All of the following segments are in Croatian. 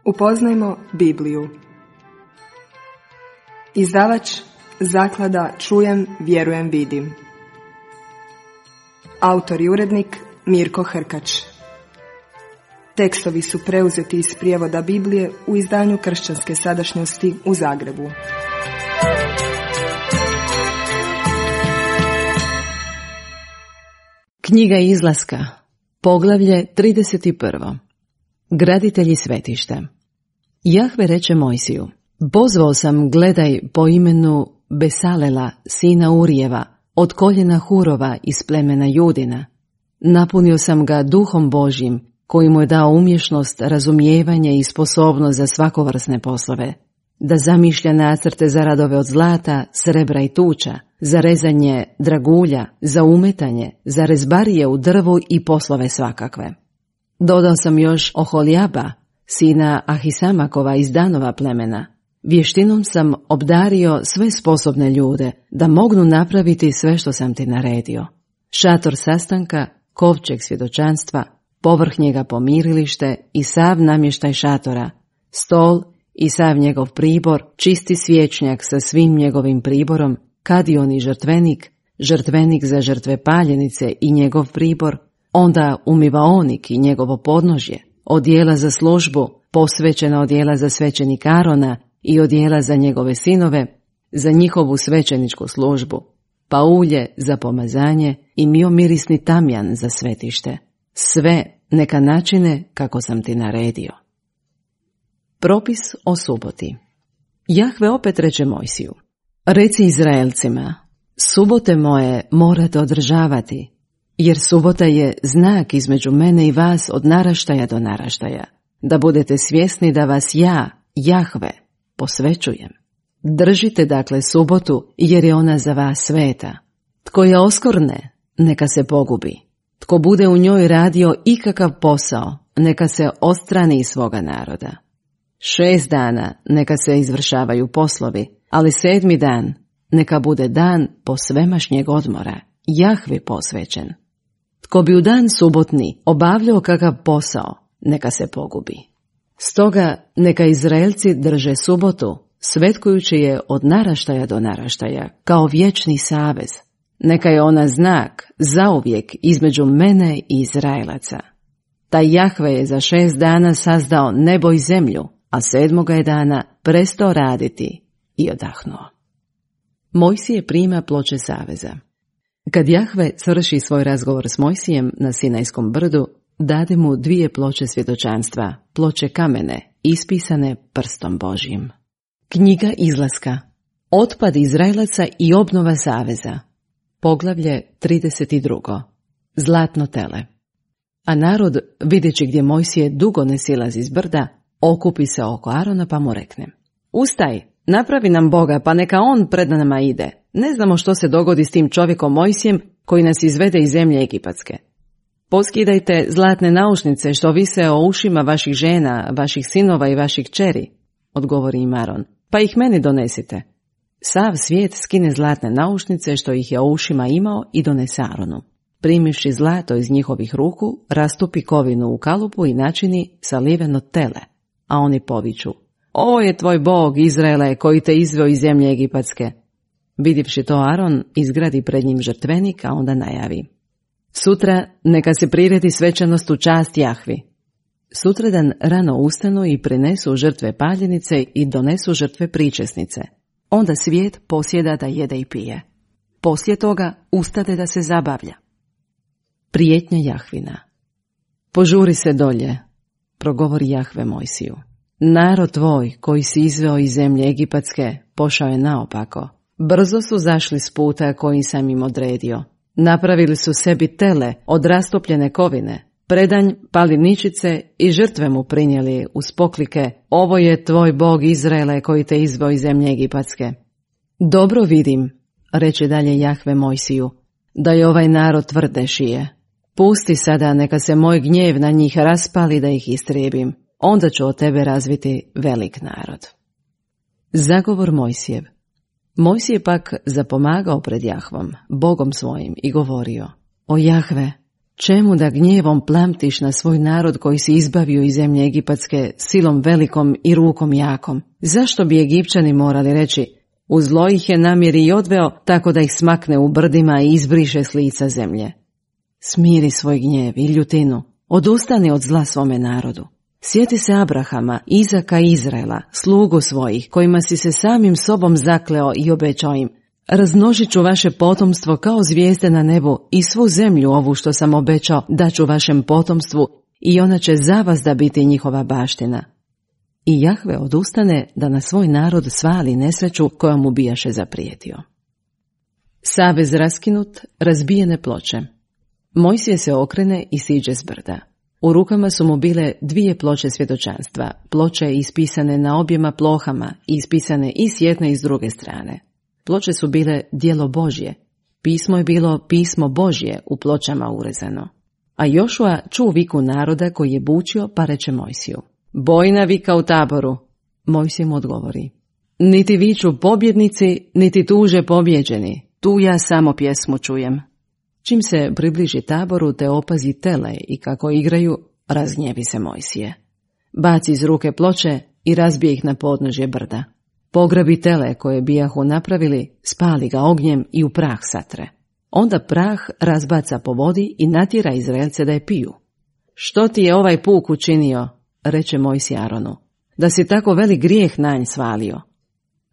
Upoznajmo Bibliju. Izdavač Zaklada Čujem, vjerujem, vidim. Autor i urednik Mirko Hrkač. Tekstovi su preuzeti iz prijevoda Biblije u izdanju Kršćanske sadašnjosti u Zagrebu. Knjiga Izlaska, poglavlje 31. Graditelji svetišta. Jahve reče Mojsiju: pozvao sam, gledaj, po imenu Besalela, sina Urijeva, od koljena Hurova iz plemena Judina. Napunio sam ga duhom Božjim, koji mu je dao umješnost, razumijevanje i sposobnost za svakovrsne poslove, da zamišlja nacrte za radove od zlata, srebra i tuča, za rezanje dragulja, za umetanje, za rezbarije u drvu i poslove svakakve. Dodao sam još Oholijaba, sina Ahisamakova iz Danova plemena. Vještinom sam obdario sve sposobne ljude da mognu napraviti sve što sam ti naredio. Šator sastanka, kovčeg svjedočanstva, povrh njega pomirilište i sav namještaj šatora, stol i sav njegov pribor, čisti svječnjak sa svim njegovim priborom, kadion i žrtvenik za žrtve paljenice i njegov pribor, onda umivaonik i njegovo podnožje, odjela za službu, posvećena odjela za svećenik Arona i odjela za njegove sinove, za njihovu svećeničku službu, pa ulje za pomazanje i miomirisni tamjan za svetište. Sve neka načine kako sam ti naredio. Propis o suboti. Jahve opet reče Mojsiju: reci Izraelcima, subote moje morate održavati, jer subota je znak između mene i vas od naraštaja do naraštaja, da budete svjesni da vas ja, Jahve, posvećujem. Držite dakle subotu, jer je ona za vas sveta. Tko je oskorne, neka se pogubi. Tko bude u njoj radio ikakav posao, neka se odstrani iz svoga naroda. 6 dana neka se izvršavaju poslovi, ali 7. dan neka bude dan posvemašnjeg odmora, Jahvi posvećen. Tko bi u dan subotni obavljao kakav posao, neka se pogubi. Stoga neka Izraelci drže subotu, svetkujući je od naraštaja do naraštaja, kao vječni savez. Neka je ona znak zauvijek između mene i Izraelaca. Taj Jahve je za 6 dana sazdao nebo i zemlju, a 7. je dana prestao raditi i odahnuo. Mojsije prima ploče saveza. Kad Jahve svrši svoj razgovor s Mojsijem na Sinajskom brdu, dade mu 2 ploče svjedočanstva, ploče kamene, ispisane prstom Božjim. Knjiga Izlaska. Otpad Izraelaca i obnova saveza. Poglavlje 32. Zlatno tele. A narod, vidjeći gdje Mojsije dugo ne silazi iz brda, okupi se oko Arona pa mu rekne: ustaj, napravi nam Boga, pa neka on pred nama ide. Ne znamo što se dogodi s tim čovjekom Mojsijem koji nas izvede iz zemlje egipatske. Poskidajte zlatne naušnice što vise o ušima vaših žena, vaših sinova i vaših kćeri, odgovori im Aron, pa ih meni donesite. Sav svijet skine zlatne naušnice što ih je o ušima imao i donese Aronu. Primivši zlato iz njihovih ruku, rastupi kovinu u kalupu i načini saliveno tele, a oni poviču: ovo je tvoj Bog, Izraele, koji te izveo iz zemlje egipatske. Vidjevši to, Aron izgradi pred njim žrtvenik, a onda najavi: sutra neka se priredi svečanost u čast Jahvi. Sutradan rano ustanu i prinesu žrtve paljenice i donesu žrtve pričesnice. Onda svijet posjeda da jede i pije. Poslije toga ustade da se zabavlja. Prijetnja Jahvina. Požuri se dolje, progovori Jahve Mojsiju. Narod tvoj koji si izveo iz zemlje egipatske pošao je naopako. Brzo su zašli s puta koji sam im odredio. Napravili su sebi tele od rastopljene kovine, predanj, paliničice i žrtve mu prinijeli uz poklike: ovo je tvoj Bog Izraele koji te izveo iz zemlje egipatske. Dobro vidim, reče dalje Jahve Mojsiju, da je ovaj narod tvrde šije. Pusti sada neka se moj gnjev na njih raspali da ih istrijebim, onda ću od tebe razviti velik narod. Zagovor Mojsijev. Mojsije pak zapomagao pred Jahvom, Bogom svojim, i govorio: o Jahve, Čemu da gnjevom plamtiš na svoj narod koji si izbavio iz zemlje egipatske silom velikom i rukom jakom? Zašto bi Egipćani morali reći, u zlo ih je namjeri i odveo tako da ih smakne u brdima i izbriše s lica zemlje? Smiri svoj gnjev i ljutinu, odustani od zla svome narodu. Sjeti se Abrahama, Izaka i Izraela, slugu svojih, kojima si se samim sobom zakleo i obećao im, razmnožit ću vaše potomstvo kao zvijezde na nebu i svu zemlju ovu što sam obećao daću vašem potomstvu i ona će za vas da biti njihova baština. I Jahve odustane da na svoj narod svali nesreću koja mu bijaše zaprijetio. Savez raskinut, razbijene ploče. Mojsije se okrene i siđe s brda. U rukama su mu bile 2 ploče svjedočanstva, ploče ispisane na objema plohama i ispisane i s jedne i s druge strane. Ploče su bile djelo Božje. Pismo je bilo pismo Božje u pločama urezano. A Jošua čuo viku naroda koji je bučio pa reče Mojsiju, bojna vika u taboru. Mojsije mu odgovori, niti viču pobjednici, niti tuže pobjeđeni, tu ja samo pjesmu čujem. Čim se približi taboru te opazi tele i kako igraju, razgnjevi se Mojsije. Baci iz ruke ploče i razbije ih na podnožje brda. Pograbi tele koje bijahu napravili, spali ga ognjem i u prah satre. Onda prah razbaca po vodi i natjera Izraelce da je piju. Što ti je ovaj puk učinio, reče Mojsije Aronu, da si tako velik grijeh na nj svalio?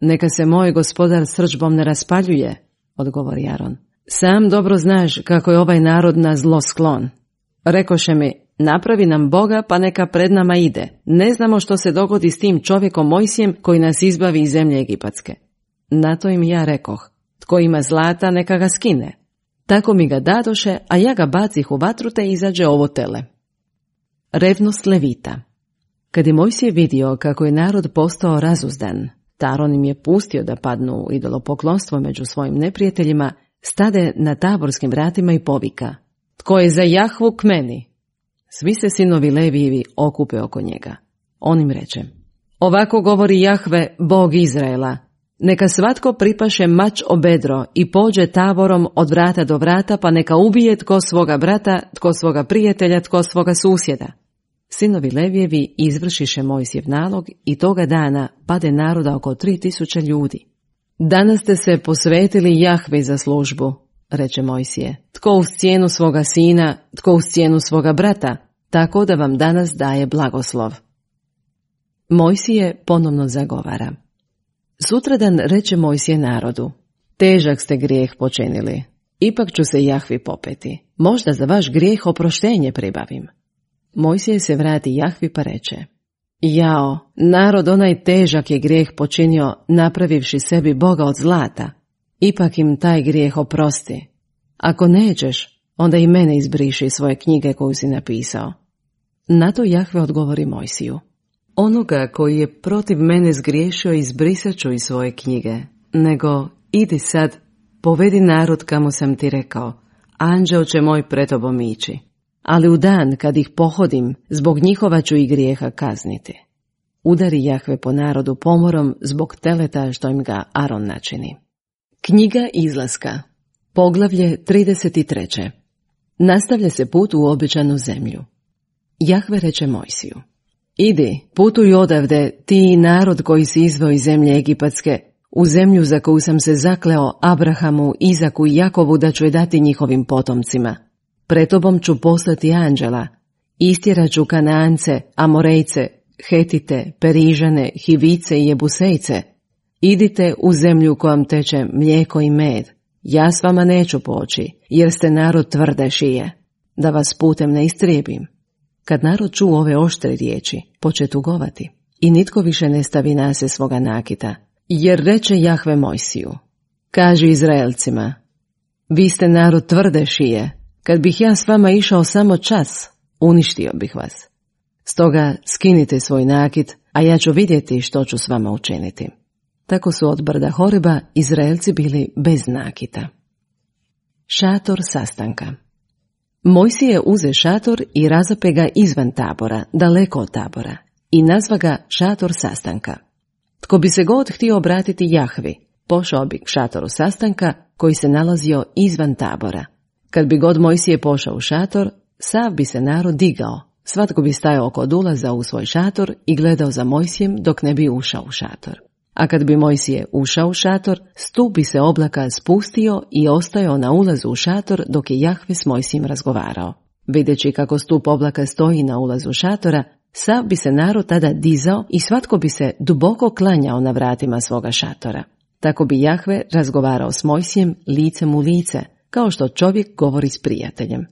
Neka se moj gospodar srdžbom ne raspaljuje, odgovori Aron. Sam dobro znaš kako je ovaj narod na zlo sklon. Rekoše mi, napravi nam Boga pa neka pred nama ide. Ne znamo što se dogodi s tim čovjekom Mojsijem koji nas izbavi iz zemlje egipatske. Na to im ja rekoh, tko ima zlata neka ga skine. Tako mi ga dadoše, a ja ga bacih u vatru te izađe ovo tele. Revnost Levita. Kad je Mojsije vidio kako je narod postao razuzdan, Aron im je pustio da padnu u idolopoklonstvo među svojim neprijateljima, stade na taborskim vratima i povika, tko je za Jahvu k meni? Svi se sinovi Levijevi okupe oko njega. On im reče, ovako govori Jahve, Bog Izraela, neka svatko pripaše mač o bedro i pođe taborom od vrata do vrata, pa neka ubije tko svoga brata, tko svoga prijatelja, tko svoga susjeda. Sinovi Levijevi izvršiše Mojsijev nalog i toga dana pade naroda oko 3000 ljudi. Danas ste se posvetili Jahvi za službu, reče Mojsije, tko uz cijenu svoga sina, tko uz cijenu svoga brata, tako da vam danas daje blagoslov. Mojsije ponovno zagovara. Sutradan reče Mojsije narodu, težak ste grijeh počinili, ipak ću se Jahvi popeti, možda za vaš grijeh oproštenje pribavim. Mojsije se vrati Jahvi pa reče, jao, narod onaj težak je grijeh počinio napravivši sebi Boga od zlata, ipak im taj grijeh oprosti. Ako nećeš, onda i mene izbriši iz svoje knjige koju si napisao. Na to Jahve odgovori Mojsiju, onoga koji je protiv mene zgriješio izbrisat ću iz svoje knjige, nego idi sad, povedi narod kamo sam ti rekao, anđeo će moj pred tobom ići. Ali u dan kad ih pohodim, zbog njihova ću i grijeha kazniti. Udari Jahve po narodu pomorom zbog teleta što im ga Aron načini. Knjiga Izlaska, poglavlje 33. Nastavlja se put u obećanu zemlju. Jahve reče Mojsiju, idi, putuj odavde, ti i narod koji si izveo iz zemlje egipatske, u zemlju za koju sam se zakleo Abrahamu, Izaku i Jakovu da ću je dati njihovim potomcima. Pred tobom ću poslati anđela, istjerat ću Kanaance, Amorejce, Hetite, Perižane, Hivice i Jebusejce. Idite u zemlju kojom teče mlijeko i med. Ja s vama neću poći, jer ste narod tvrde šije, da vas putem ne istrijebim. Kad narod čuo ove oštre riječi, poče tugovati i nitko više ne stavi nase svoga nakita, jer reče Jahve Mojsiju, kaži Izraelcima, vi ste narod tvrde šije, kad bih ja s vama išao samo čas, uništio bih vas. Stoga skinite svoj nakit, a ja ću vidjeti što ću s vama učiniti. Tako su od brda Horeba Izraelci bili bez nakita. Šator sastanka. Mojsije uze šator i razape ga izvan tabora, daleko od tabora, i nazva ga šator sastanka. Tko bi se god htio obratiti Jahvi, pošao bi k šatoru sastanka koji se nalazio izvan tabora. Kad bi god Mojsije pošao u šator, sav bi se narod digao. Svatko bi stajao kod ulaza u svoj šator i gledao za Mojsijem dok ne bi ušao u šator. A kad bi Mojsije ušao u šator, stup bi se oblaka spustio i ostajao na ulazu u šator dok je Jahve s Mojsijem razgovarao. Videći kako stup oblaka stoji na ulazu šatora, sav bi se narod tada dizao i svatko bi se duboko klanjao na vratima svoga šatora. Tako bi Jahve razgovarao s Mojsijem licem u lice, kao što čovjek govori s prijateljem.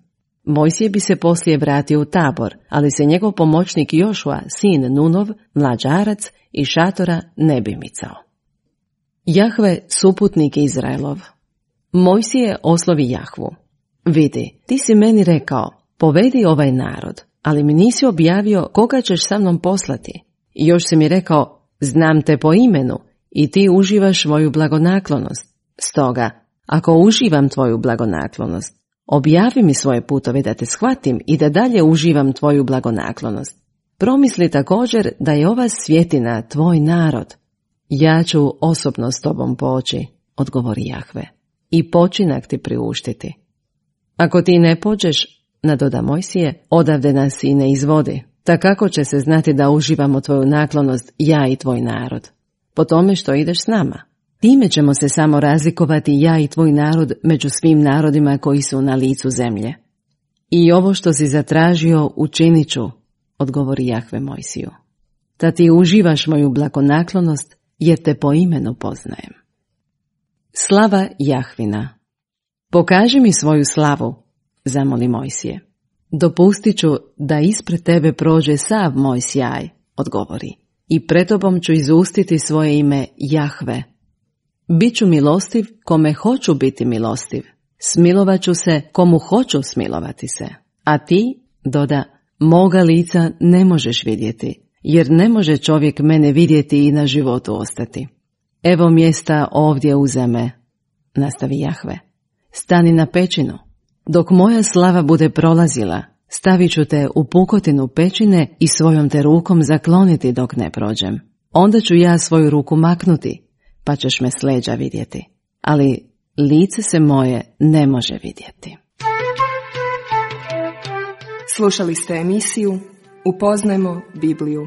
Mojsije bi se poslije vratio u tabor, ali se njegov pomoćnik Jošua, sin Nunov, mlađarac, iz šatora ne bi micao. Jahve, suputnik Izraelov. Mojsije oslovi Jahvu. Vidi, ti si meni rekao, povedi ovaj narod, ali mi nisi objavio koga ćeš sa mnom poslati. I još si mi rekao, znam te po imenu i ti uživaš moju blagonaklonost. Stoga, ako uživam tvoju blagonaklonost, objavi mi svoje putove da te shvatim i da dalje uživam tvoju blagonaklonost. Promisli također da je ova svjetina tvoj narod. Ja ću osobno s tobom poći, odgovori Jahve, i počinak ti priuštiti. Ako ti ne pođeš, nadoda Mojsije, odavde nas i ne izvodi, ta kako će se znati da uživamo tvoju naklonost ja i tvoj narod? Po tome što ideš s nama. Time ćemo se samo razlikovati ja i tvoj narod među svim narodima koji su na licu zemlje. I ovo što si zatražio učinit ću, odgovori Jahve Mojsiju. Da ti uživaš moju blagonaklonost jer te po imenu poznajem. Slava Jahvina. Pokaži mi svoju slavu, zamoli Mojsije. Dopustit ću da ispred tebe prođe sav moj sjaj, odgovori, i pred tobom ću izustiti svoje ime Jahve. Biću milostiv kome hoću biti milostiv, smilovat ću se komu hoću smilovati se, a ti, doda, moga lica ne možeš vidjeti, jer ne može čovjek mene vidjeti i na životu ostati. Evo mjesta ovdje uza me, nastavi Jahve. Stani na pećinu. Dok moja slava bude prolazila, stavit ću te u pukotinu pećine i svojom te rukom zakloniti dok ne prođem. Onda ću ja svoju ruku maknuti, pa ćeš me s leđa vidjeti. Ali lice se moje ne može vidjeti. Slušali ste emisiju Upoznajmo Bibliju.